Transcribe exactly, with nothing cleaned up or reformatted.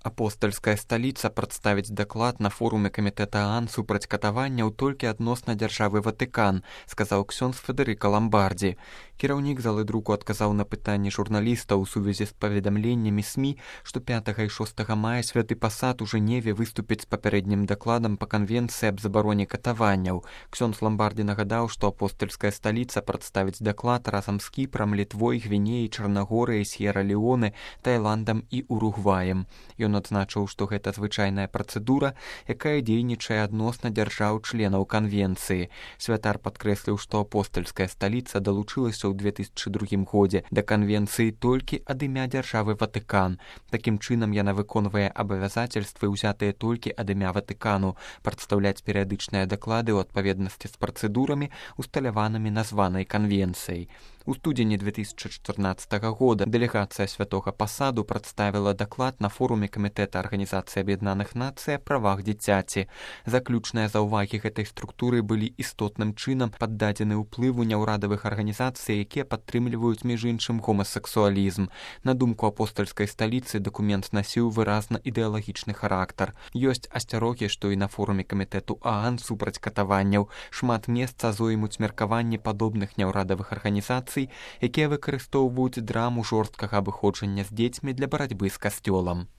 Апостальская сталіца прадставіць даклад на форуме камітэта ААН супраць катаванняў толькі адносна дзяржавы Ватыкан, сказаў ксёндз Федэрыка Ламбардзі. Кіраўнік залы друку адказаў на пытанні журналістаў у сувязі з паведамленнямі СМІ, што пятага і шостага мая святы пасад у Жэневе выступіць з папярэднім дакладам па канвенцыі аб забароне катаванняў. Ксёндз Ламбардзі нагадаў, што апостальская сталіца прадставіць даклад разам з Кіпрам, Літвой, Гвінеяй, Чарнагорыяй, С'ера-Леоне, Тайландам і Уругваем. Ён адзначыў, што гэта звычайная працэдура, якая дзейнічае адносна дзяржаў-членаў канвенцыі. Святар падкрэсліў, што апостальская сталіца далучылася ў две тысячы другім годзе да канвенцыі толькі ад імя дзяржавы Ватыкан. Такім чынам яна выконвае абавязацельствы, узятыя толькі ад імя Ватыкану, прадстаўляць перыядычныя даклады ў адпаведнасці з працэдурамі, усталяванымі названай канвенцыяй. У студзені две тысячы чатырнаццатага года дэлегацыя святога пасаду прадставіла даклад на форуме камітэта Арганізацыі Аб'яднаных Нацый о правах дзіцяці. Заключныя заўвагі гэтай структуры былі істотным чынам паддадзены ўплыву няўрадавых арганізацый, якія падтрымліваюць між іншым гомасексуалізм. На думку апостальскай сталіцы дакумент насіў выразна ідэалагічны характар. Ёсць асцярогі, што і на форуме камітэту ААН супраць катаванняў шмат месца зоймуць меркаванні падобных няўрадавых арганізацый, якія выкарыстоўваюць драму жорсткага абыходжання з дзецьмі для барацьбы з касцёлам.